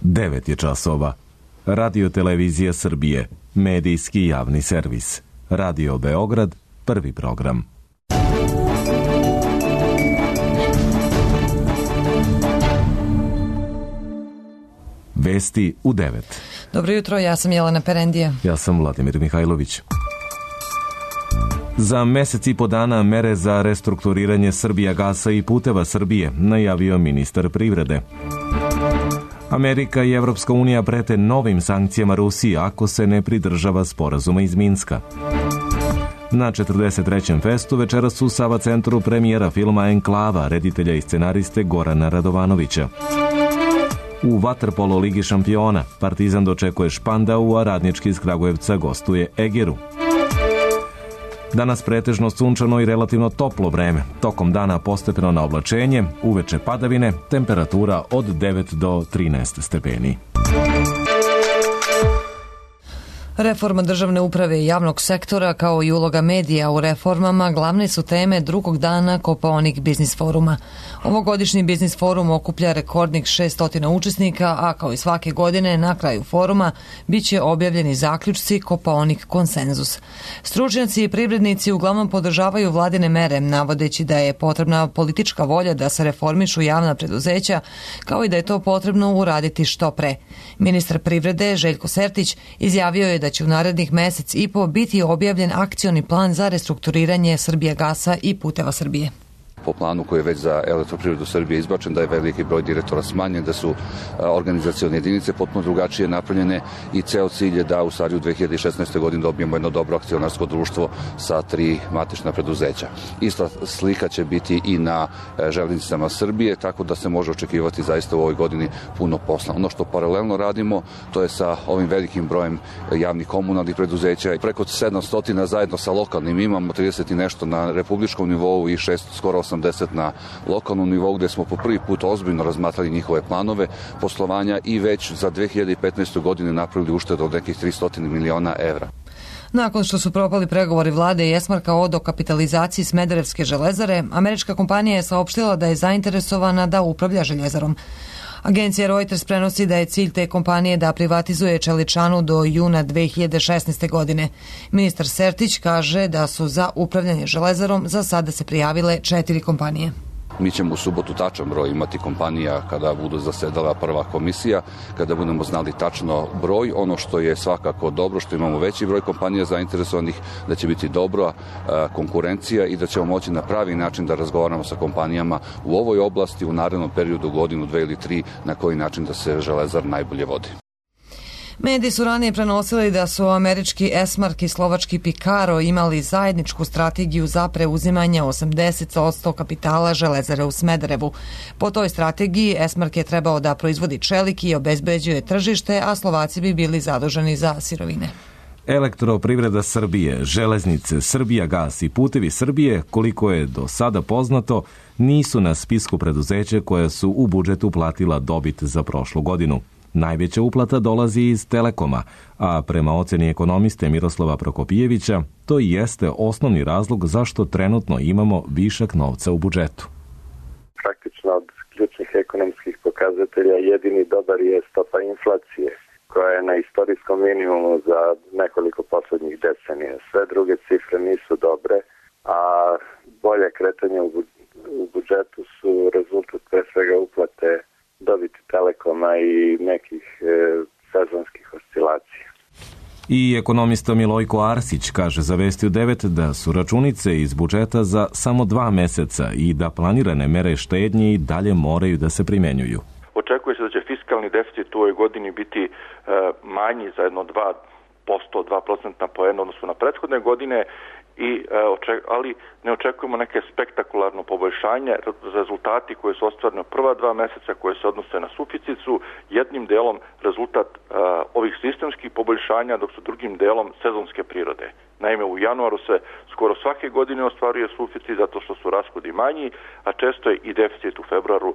9 je časova. Radio Televizija Srbije, medijski javni servis. Radio Beograd, prvi program. Vesti u 9. Dobro jutro, ja sam Jelena Perendija. Ja sam Vladimir Mihajlović. Za mesec i po dana mere za restrukturiranje Srbijagasa i Puteva Srbije, najavio ministar privrede. Amerika i Evropska unija prete novim sankcijama Rusiji ako se ne pridržava sporazuma iz Minska. Na 43. festu večeras u Sava centru premijera filma Enklava, reditelja i scenariste Gorana Radovanovića. U vaterpolo Ligi šampiona Partizan dočekuje Špandau, a Radnički iz Kragujevca gostuje Egeru. Danas pretežno sunčano i relativno toplo vreme. Tokom dana postepeno na oblačenje, uveče padavine, temperatura od 9 do 13 stepeni. Reforma državne uprave i javnog sektora kao i uloga medija u reformama glavne su teme drugog dana Kopaonik biznis foruma. Ovogodišnji biznis forum okuplja rekordnih 600 učesnika, a kao i svake godine na kraju foruma biće objavljeni zaključci Kopaonik konsenzus. Stručnjaci i privrednici uglavnom podržavaju vladine mere, navodeći da je potrebna politička volja da se reformišu javna preduzeća, kao i da je to potrebno uraditi što pre. Ministar privrede Željko Sertić izjavio je da će u narednih mesec i po biti objavljen akcioni plan za restrukturiranje Srbijagasa i Puteva Srbije. Po planu koji je već za Elektroprivredu Srbije izbačen, da je veliki broj direktora smanjen, da su organizacione jedinice potpuno drugačije napravljene i ceo cilj je da u stvari u 2016. godini dobijemo jedno dobro akcionarsko društvo sa 3 matična preduzeća. Ista slika će biti i na železnicama Srbije, tako da se može očekivati zaista u ovoj godini puno posla. Ono što paralelno radimo, to je sa ovim velikim brojem javnih komunalnih preduzeća. Preko 700 zajedno sa lokalnim, imamo 30 i nešto na republičkom nivou i 6, skoro 80 na lokalnom nivou, gde smo po prvi put ozbiljno razmatrali njihove planove poslovanja i već za 2015. godine napravili uštedu od nekih 300 miliona evra. Nakon što su propali pregovori vlade i Esmarka o dokapitalizaciji Smederevske železare, američka kompanija je saopštila da je zainteresovana da upravlja željezarom. Agencija Reuters prenosi da je cilj te kompanije da privatizuje čeličanu do juna 2016. godine. Ministar Sertić kaže da su za upravljanje železarom za sada se prijavile 4 kompanije. Mi ćemo u subotu tačan broj imati kompanija kada budu zasedala prva komisija, kada budemo znali tačno broj. Ono što je svakako dobro, što imamo veći broj kompanija zainteresovanih, da će biti dobra konkurencija i da ćemo moći na pravi način da razgovaramo sa kompanijama u ovoj oblasti u narednom periodu, godinu, 2 ili 3, na koji način da se železar najbolje vodi. Mediji su ranije prenosili da su američki Esmark i slovački Pikaro imali zajedničku strategiju za preuzimanje 80% kapitala železare u Smederevu. Po toj strategiji Esmark je trebao da proizvodi čelik i obezbeđuje tržište, a Slovaci bi bili zaduženi za sirovine. Elektroprivreda Srbije, železnice, Srbijagas i Putevi Srbije, koliko je do sada poznato, nisu na spisku preduzeća koja su u budžetu platila dobit za prošlu godinu. Najveća uplata dolazi iz Telekoma, a prema oceni ekonomiste Miroslava Prokopijevića, to i jeste osnovni razlog zašto trenutno imamo višak novca u budžetu. Praktično od ključnih ekonomskih pokazatelja jedini dobar je stopa inflacije, koja je na istorijskom minimumu za nekoliko poslednjih decenija. Sve druge cifre nisu dobre, a bolje kretanje u budžetu su rezultat pre svega uplate dobiti Telekoma i nekih sezonskih oscilacija. I ekonomista Milojko Arsić kaže za Vesti u 9 da su računice iz budžeta za samo 2 meseca i da planirane mere štednje i dalje moraju da se primenjuju. Očekuje se da će fiskalni deficit u ovoj godini biti manji za jedno 2% poena odnosno na prethodne godine, ali ne očekujemo neke spektakularno poboljšanje. Rezultati koji su ostvareni u prva 2 meseca koje se odnose na suficit su jednim delom rezultat ovih sistemskih poboljšanja, dok su drugim delom sezonske prirode. Naime, u januaru se skoro svake godine ostvaruje suficit zato što su rashodi manji, a često je i deficit u februaru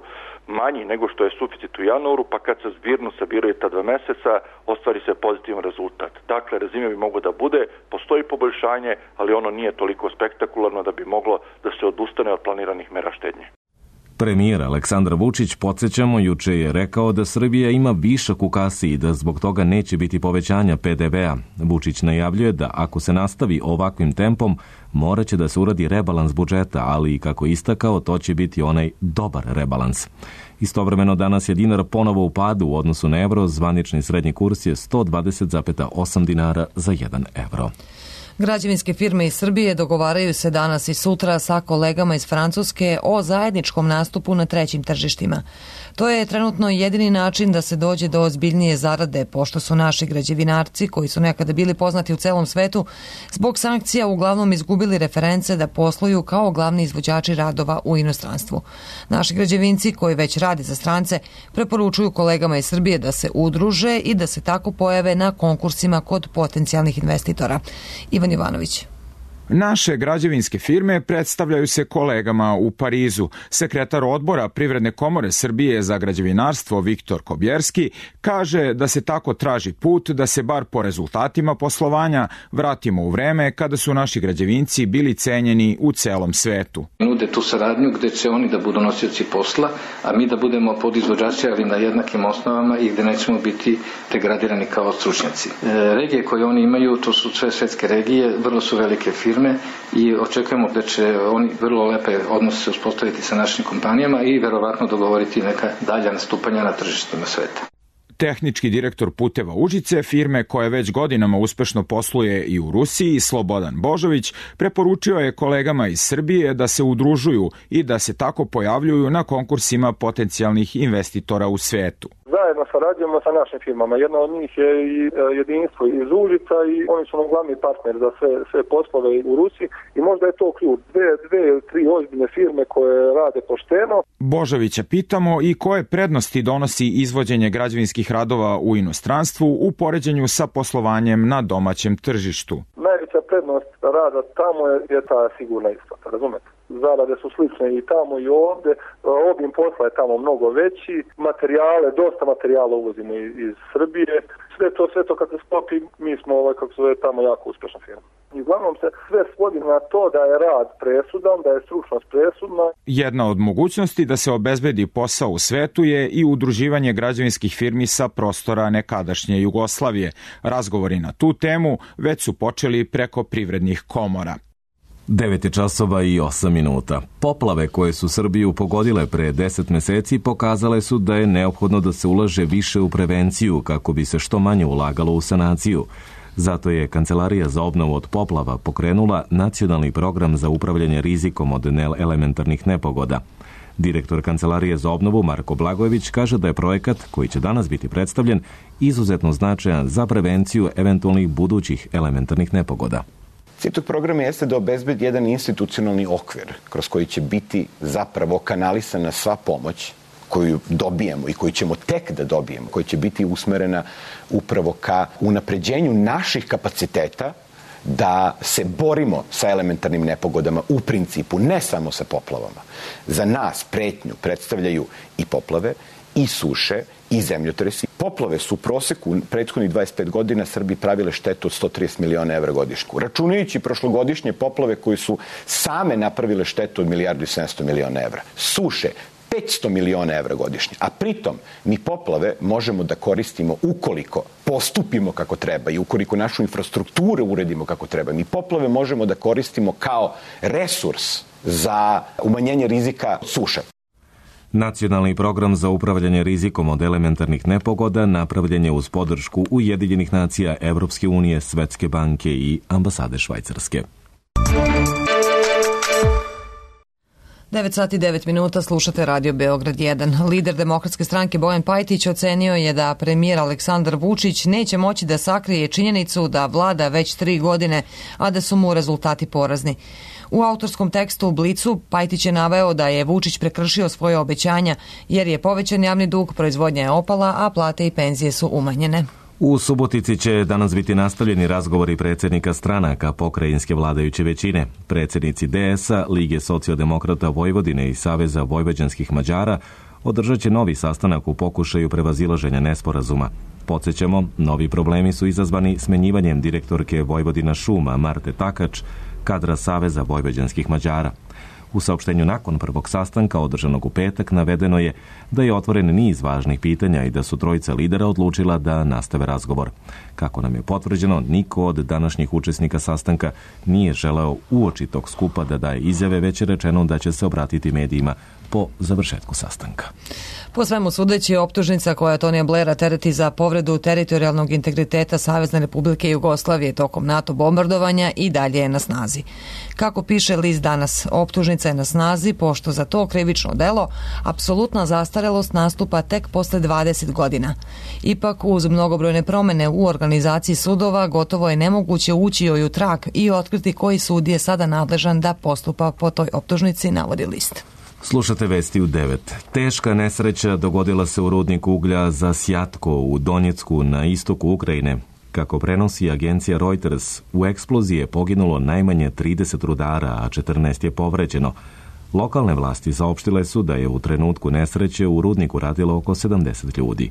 manji nego što je suficit u januaru, pa kad se zbirno sabiraju ta 2 meseca, ostvari se pozitivan rezultat. Dakle, rezime bi moglo da bude, postoji poboljšanje, ali ono nije toliko spektakularno da bi moglo da se odustane od planiranih mera štednje. Premijer Aleksandar Vučić, podsjećamo, juče je rekao da Srbija ima višak u kasi i da zbog toga neće biti povećanja PDV-a. Vučić najavljuje da ako se nastavi ovakvim tempom, moraće da se uradi rebalans budžeta, ali i kako istakao, to će biti onaj dobar rebalans. Istovremeno danas je dinar ponovo u padu u odnosu na evro, zvanični srednji kurs je 120,8 dinara za 1 evro. Građevinske firme iz Srbije dogovaraju se danas i sutra sa kolegama iz Francuske o zajedničkom nastupu na trećim tržištima. To je trenutno jedini način da se dođe do ozbiljnije zarade, pošto su naši građevinarci, koji su nekada bili poznati u celom svetu, zbog sankcija uglavnom izgubili reference da posluju kao glavni izvođači radova u inostranstvu. Naši građevinci, koji već rade za strance, preporučuju kolegama iz Srbije da se udruže i da se tako pojave na konkursima kod potencijalnih investitora. Ivan Ivanović. Naše građevinske firme predstavljaju se kolegama u Parizu. Sekretar odbora Privredne komore Srbije za građevinarstvo Viktor Kobjerski kaže da se tako traži put da se bar po rezultatima poslovanja vratimo u vreme kada su naši građevinci bili cenjeni u celom svetu. Nude tu saradnju gde će oni da budu nosioci posla, a mi da budemo podizvođači, ali na jednakim osnovama i gde nećemo biti degradirani kao stručnjaci. Regije koje oni imaju, to su sve svetske regije, vrlo su velike firme i očekujemo da će oni vrlo lepe odnose uspostaviti sa našim kompanijama i verovatno dogovoriti neka dalja nastupanja na tržištima sveta. Tehnički direktor Puteva Užice, firme koja već godinama uspešno posluje i u Rusiji, Slobodan Božović, preporučio je kolegama iz Srbije da se udružuju i da se tako pojavljuju na konkursima potencijalnih investitora u svetu. Zajedno sarađujemo sa našim firmama. Jedna od njih je i jedinstvo iz Užica i oni su nam glavni partner za sve poslove u Rusiji i možda je to ključ. Dve ili tri ozbiljne firme koje rade pošteno. Božovića pitamo i koje prednosti donosi izvođenje građevinskih radova u inostranstvu u poređenju sa poslovanjem na domaćem tržištu. Najveća prednost rada tamo je ta sigurna isplata, razumete? Zarade su slične i tamo i ovde, obim posla je tamo mnogo veći, dosta materijala uvozimo iz Srbije, sve to kad se sklopi, mi smo tamo jako uspešna firma. I uglavnom se sve svodi na to da je rad presudan, da je stručnost presudna. Jedna od mogućnosti da se obezbedi posao u svetu je i udruživanje građevinskih firmi sa prostora nekadašnje Jugoslavije. Razgovori na tu temu već su počeli preko privrednih komora. 9:08. Poplave koje su Srbiju pogodile pre 10 meseci pokazale su da je neophodno da se ulaže više u prevenciju kako bi se što manje ulagalo u sanaciju. Zato je Kancelarija za obnovu od poplava pokrenula nacionalni program za upravljanje rizikom od elementarnih nepogoda. Direktor Kancelarije za obnovu Marko Blagojević kaže da je projekat, koji će danas biti predstavljen, izuzetno značajan za prevenciju eventualnih budućih elementarnih nepogoda. Cilj tog programa jeste da obezbedi jedan institucionalni okvir kroz koji će biti zapravo kanalisana sva pomoć koju dobijemo i koju ćemo tek da dobijemo, koja će biti usmerena upravo ka unapređenju naših kapaciteta da se borimo sa elementarnim nepogodama u principu, ne samo sa poplavama. Za nas pretnju predstavljaju i poplave, i suše, i zemljotresi. Poplave su u proseku prethodnih 25 godina Srbiji pravile štetu od 130 miliona evra godišnju. Računajući prošlogodišnje poplave koje su same napravile štetu od 1,7 milijardi evra. Suše 500 miliona evra godišnje. A pritom mi poplave možemo da koristimo ukoliko postupimo kako treba i ukoliko našu infrastrukturu uredimo kako treba. Mi poplave možemo da koristimo kao resurs za umanjenje rizika suše. Nacionalni program za upravljanje rizikom od elementarnih nepogoda napravljen je uz podršku Ujedinjenih nacija, Evropske unije, Svetske banke i ambasade Švajcarske. 9:09, slušate Radio Beograd 1. Lider Demokratske stranke Bojan Pajtić ocenio je da premijer Aleksandar Vučić neće moći da sakrije činjenicu da vlada već 3 godine, a da su mu rezultati porazni. U autorskom tekstu u Blicu Pajtić je naveo da je Vučić prekršio svoje obećanja jer je povećan javni dug, proizvodnja je opala, a plate i penzije su umanjene. U Subotici će danas biti nastavljeni razgovori predsjednika stranaka pokrajinske vladajuće većine. Predsjednici DS-a, Lige socijaldemokrata Vojvodine i Saveza vojvođanskih Mađara održat će novi sastanak u pokušaju prevazilaženja nesporazuma. Podsjećamo, novi problemi su izazvani smenjivanjem direktorke Vojvodina šuma Marte Takač, kadra Saveza vojvođanskih Mađara. U saopštenju nakon prvog sastanka održanog u petak navedeno je da je otvoren niz važnih pitanja i da su trojica lidera odlučila da nastave razgovor. Kako nam je potvrđeno, niko od današnjih učesnika sastanka nije želeo uoči tog skupa da daje izjave, već je rečeno da će se obratiti medijima po završetku sastanka. Po svemu sudeći, optužnica koja Tonija Blaira tereti za povredu teritorijalnog integriteta Savezne Republike Jugoslavije tokom NATO bombardovanja i dalje je na snazi. Kako piše list Danas, optužnica je na snazi pošto za to krivično delo apsolutna zastarelost nastupa tek posle 20 godina. Ipak, uz mnogobrojne promene u organizaciji sudova, gotovo je nemoguće ući joj u trag i otkriti koji sud je sada nadležan da postupa po toj optužnici, navodi list. Slušate vesti u 9. Teška nesreća dogodila se u rudniku uglja za Sjatko u Donjecku na istoku Ukrajine. Kako prenosi agencija Reuters, u eksploziji je poginulo najmanje 30 rudara, a 14 je povređeno. Lokalne vlasti saopštile su da je u trenutku nesreće u rudniku radilo oko 70 ljudi.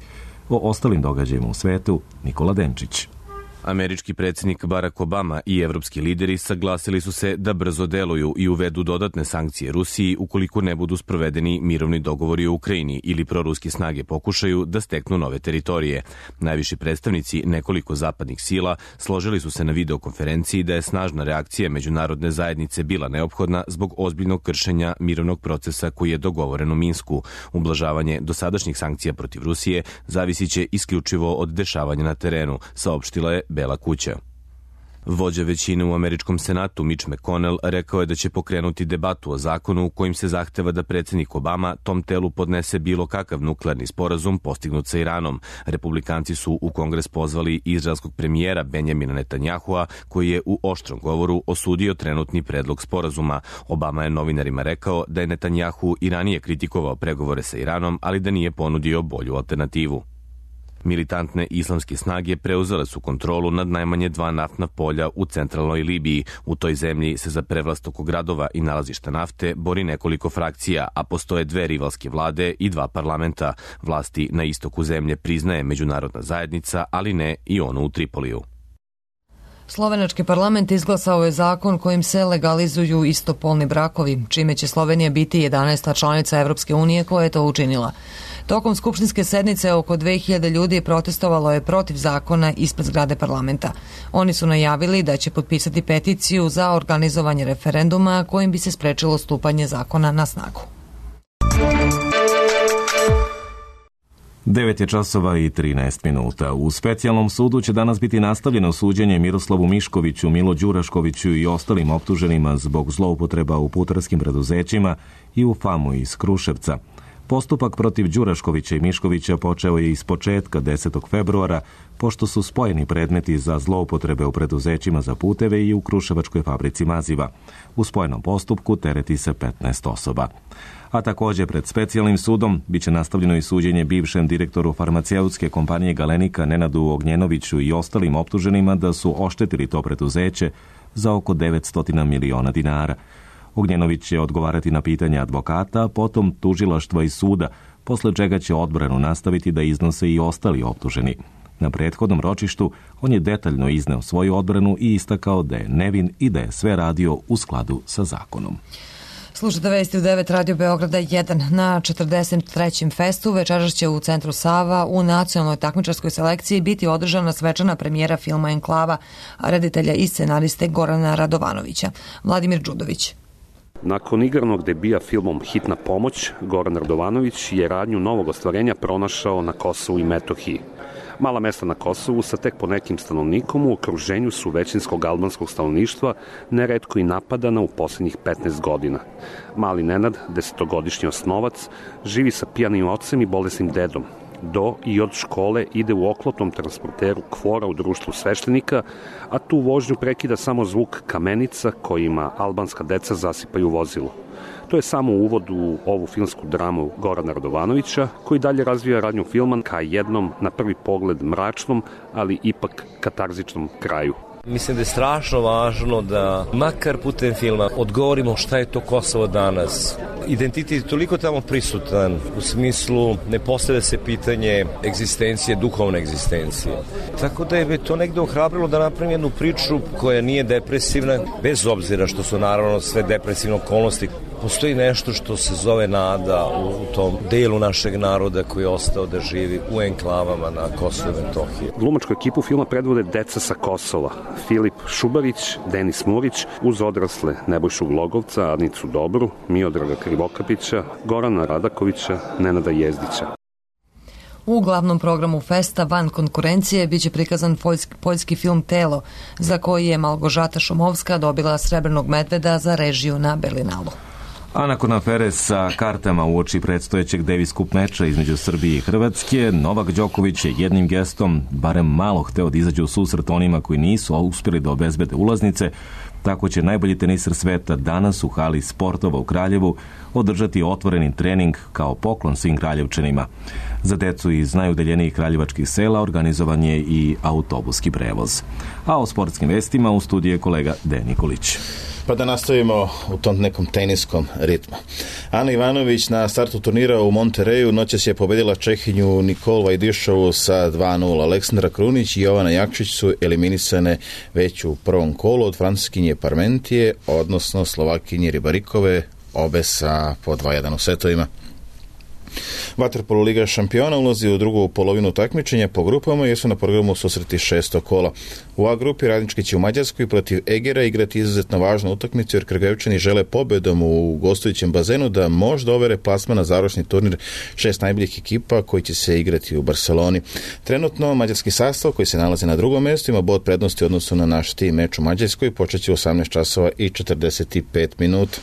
O ostalim događajima u svetu, Nikola Denčić. Američki predsjednik Barack Obama i evropski lideri saglasili su se da brzo deluju i uvedu dodatne sankcije Rusiji ukoliko ne budu sprovedeni mirovni dogovori u Ukrajini ili proruske snage pokušaju da steknu nove teritorije. Najviši predstavnici nekoliko zapadnih sila složili su se na videokonferenciji da je snažna reakcija međunarodne zajednice bila neophodna zbog ozbiljnog kršenja mirovnog procesa koji je dogovoren u Minsku. Ublažavanje dosadašnjih sankcija protiv Rusije zavisit će isključivo od dešavanja na terenu, saopštila je Bela kuća. Vođa većine u američkom senatu Mitch McConnell rekao je da će pokrenuti debatu o zakonu kojim se zahteva da predsjednik Obama tom telu podnese bilo kakav nuklearni sporazum postignut sa Iranom. Republikanci su u Kongres pozvali izraelskog premijera Benjamina Netanyahua, koji je u oštrom govoru osudio trenutni predlog sporazuma. Obama je novinarima rekao da je Netanyahu i ranije kritikovao pregovore sa Iranom, ali da nije ponudio bolju alternativu. Militantne islamske snage preuzele su kontrolu nad najmanje 2 naftna polja u centralnoj Libiji. U toj zemlji se za prevlast oko gradova i nalazišta nafte bori nekoliko frakcija, a postoje 2 rivalske vlade i 2 parlamenta. Vlasti na istoku zemlje priznaje međunarodna zajednica, ali ne i ono u Tripoliju. Slovenački parlament izglasao je zakon kojim se legalizuju istopolni brakovi, čime će Slovenija biti 11. članica Evropske unije koja je to učinila. Tokom skupštinske sednice oko 2000 ljudi protestovalo je protiv zakona ispred zgrade parlamenta. Oni su najavili da će potpisati peticiju za organizovanje referenduma kojim bi se sprečilo stupanje zakona na snagu. 9 je časova i 13 minuta. U specijalnom sudu će danas biti nastavljeno suđenje Miroslavu Miškoviću, Milo Đuraškoviću i ostalim optuženima zbog zloupotreba u putarskim preduzećima i u FAMU iz Kruševca. Postupak protiv Đuraškovića i Miškovića počeo je ispočetka 10. februara, pošto su spojeni predmeti za zloupotrebe u preduzećima za puteve i u Kruševačkoj fabrici maziva. U spojenom postupku tereti se 15 osoba. A također pred specijalnim sudom biće nastavljeno i suđenje bivšem direktoru farmaceutske kompanije Galenika Nenadu Ognjenoviću i ostalim optuženima da su oštetili to preduzeće za oko 900 miliona dinara. Ognjenović će odgovarati na pitanja advokata, potom tužilaštva i suda, posle čega će odbranu nastaviti da iznose i ostali optuženi. Na prethodnom ročištu on je detaljno izneo svoju odbranu i istakao da je nevin i da je sve radio u skladu sa zakonom. Slušate vesti u 9 Radio Beograda 1 na 43. festu. Večeras će u centru Sava u nacionalnoj takmičarskoj selekciji biti održana svečana premijera filma Enklava, reditelja i scenariste Gorana Radovanovića. Vladimir Đudović. Nakon igranog debija filmom Hitna pomoć, Goran Radovanović je radnju novog ostvarenja pronašao na Kosovu i Metohiji. Mala mesta na Kosovu sa tek po nekim stanovnikom u okruženju su većinskog albanskog stanovništva neretko i napadana u posljednjih 15 godina. Mali Nenad, 10-godišnji osnovac, živi sa pijanim ocem i bolesnim dedom. Do i od škole ide u oklopnom transporteru Kvora u društvu sveštenika, a tu vožnju prekida samo zvuk kamenica kojima albanska deca zasipaju vozilo. To je samo uvod u ovu filmsku dramu Gorana Radovanovića, koji dalje razvija radnju filma ka jednom, na prvi pogled mračnom, ali ipak katarzičnom kraju. Mislim da je strašno važno da makar putem filma odgovorimo šta je to Kosovo danas. Identitet je toliko tamo prisutan, u smislu ne postavlja se pitanje egzistencije, duhovne egzistencije. Tako da je me to negde ohrabrilo da napravim jednu priču koja nije depresivna, bez obzira što su naravno sve depresivne okolnosti postoji nešto što se zove nada u tom delu našeg naroda koji je ostao da živi u enklavama na Kosovu i Metohiji. Glumačku ekipu filma predvode deca sa Kosova. Filip Šubarić, Denis Murić, uz odrasle Nebojšu Glogovca, Adnicu Dobru, Miodraga Krivokapića, Gorana Radakovića, Nenada Jezdića. U glavnom programu festa van konkurencije biće prikazan poljski film Telo, za koji je Malgožata Šumovska dobila Srebrnog medveda za režiju na Berlinalu. A nakon afere sa kartama uoči predstojećeg Davis Cup meča između Srbije i Hrvatske, Novak Đoković je jednim gestom barem malo hteo da izađe u susret onima koji nisu uspjeli da obezbede ulaznice. Tako će najbolji teniser sveta danas u hali sportova u Kraljevu održati otvoreni trening kao poklon svim Kraljevčanima. Za decu iz najudaljenijih kraljevačkih sela organizovan je i autobuski prevoz. A o sportskim vestima u studiju je kolega Dejan Nikolić. Pa da nastavimo u tom nekom teniskom ritmu. Ana Ivanović na startu turnira u Montereju noćas je pobedila Čehinju Nikol Vajdišovu sa 2:0. Aleksandra Krunić i Jovana Jakšić su eliminisane već u prvom kolu od Francuskinje Parmentije, odnosno Slovakinje Ribarikove, obe sa po 2:1 u setovima. Vaterpolo Liga šampiona ulazi u drugu polovinu takmičenja po grupama jer su na programu susreti 6. kola. U A grupi Radnički će u Mađarskoj protiv Egera igrati izuzetno važnu utakmicu jer Kragujevčani žele pobedom u gostujućem bazenu da možda overe plasman na završni turnir 6 najboljih ekipa koji će se igrati u Barceloni. Trenutno mađarski sastav koji se nalazi na drugom mjestu ima bod prednosti u odnosu na naš tim meč u Mađarskoj, počeće u 18 časova i 45 minuta.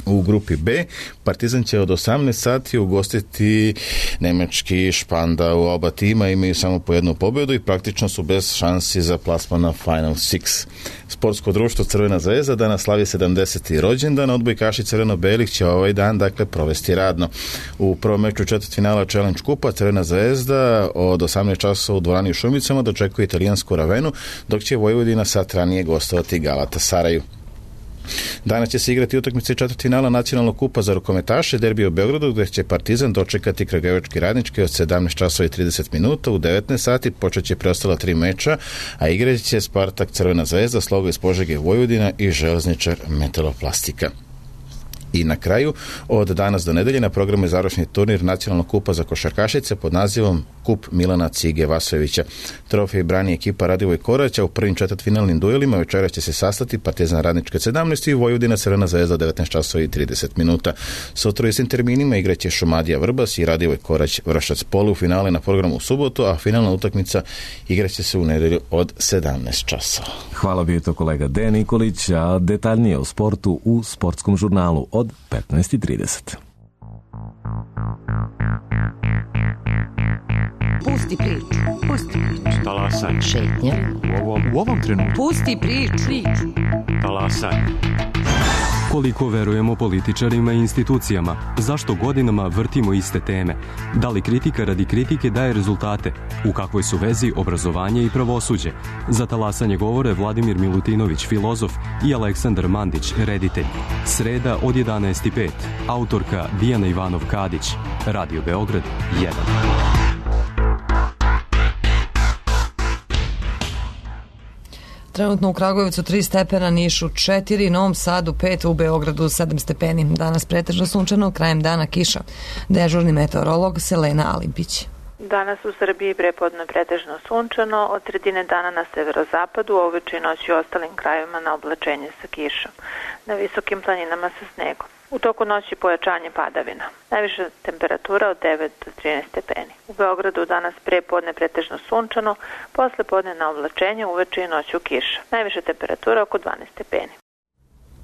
U grupi B Partizan će od 18 sati ugostiti nemački Špandau. Oba tima imaju samo po jednu pobjedu i praktično su bez šansi za plasman na Final Six. Sportsko društvo Crvena zvezda danas slavi 70. rođendan, odbojkaši crveno-belih će ovaj dan provesti radno. U prvom meču četvrtfinala Challenge Kupa Crvena zvezda od 18 časova u dvorani u Šumicama dočekuje italijansku Ravenu, dok će Vojvodina sat ranije gostovati Galatasaraju. Danas će se igrati utakmice četvrtfinala nacionalnog kupa za rukometaše, derbi u Beogradu, gdje će Partizan dočekati Kragujevački Radnički od 17 časova i 30 minuta. U 19 sati počet će preostala 3 meča, a igrat će Spartak Crvena zvezda, Sloga iz Požege Vojvodina i Železničar Metaloplastika. I na kraju, od danas do nedelje na programu je završni turnir nacionalnog kupa za košarkašice pod nazivom Kup Milana Cige Vasojevića. Trofej brani ekipa Radivoj Korać, a u prvim četvrtfinalnim duelima večeras će se sastati Partizan Radnička 17 i Vojvodina Crvena zvezda 19 časova i 30 minuta. Sutra u istim terminima igraće Šumadija Vrbas i Radivoj Korać Vršac. Polufinale na programu u subotu, a finalna utakmica igraće se u nedelju od 17 časova. Hvala bio to kolega Dejan Nikolić, a detaljnije o sportu u Sportskom žurnalu od 15:30. Pusti priču. Talasaj. Šetnja. U ovom trenutku. Pusti priču. Talasaj. Koliko verujemo političarima i institucijama? Zašto godinama vrtimo iste teme? Da li kritika radi kritike daje rezultate? U kakvoj su vezi obrazovanje i pravosuđe? Za talasanje govore Vladimir Milutinović, filozof, i Aleksandar Mandić, reditelj. Sreda od 11:05. Autorka Dijana Ivanov-Kadić. Radio Beograd 1. Trenutno u Kragujevcu 3 stepena, Nišu 4, Novom Sadu 5, u Beogradu 7 stepeni. Danas pretežno sunčano, krajem dana kiša. Dežurni meteorolog Selena Alimpić. Danas u Srbiji prepodne pretežno sunčano, od sredine dana na severozapadu, uveče i noći u ostalim krajevima na oblačenje sa kišom. Na visokim planinama sa snegom. U toku noći pojačanje padavina. Najviša temperatura od 9 do 13 stepeni. U Beogradu danas prepodne pretežno sunčano, posle podne na oblačenje, uveče i noću kiša. Najviša temperatura oko 12 stepeni.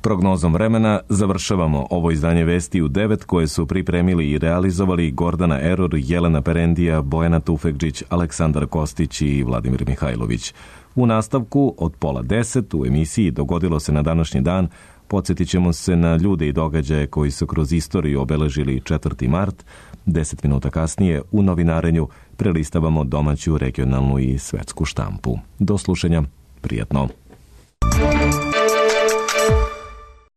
Prognozom vremena završavamo ovo izdanje Vesti u 9 koje su pripremili i realizovali Gordana Eror, Jelena Perendija, Bojana Tufekđić, Aleksandar Kostić i Vladimir Mihajlović. U nastavku od 9:30 u emisiji Dogodilo se na današnji dan podsjetit ćemo se na ljude i događaje koji su kroz istoriju obeležili 4. mart. 10 minuta kasnije u novinarenju prelistavamo domaću, regionalnu i svetsku štampu. Do slušanja, prijatno.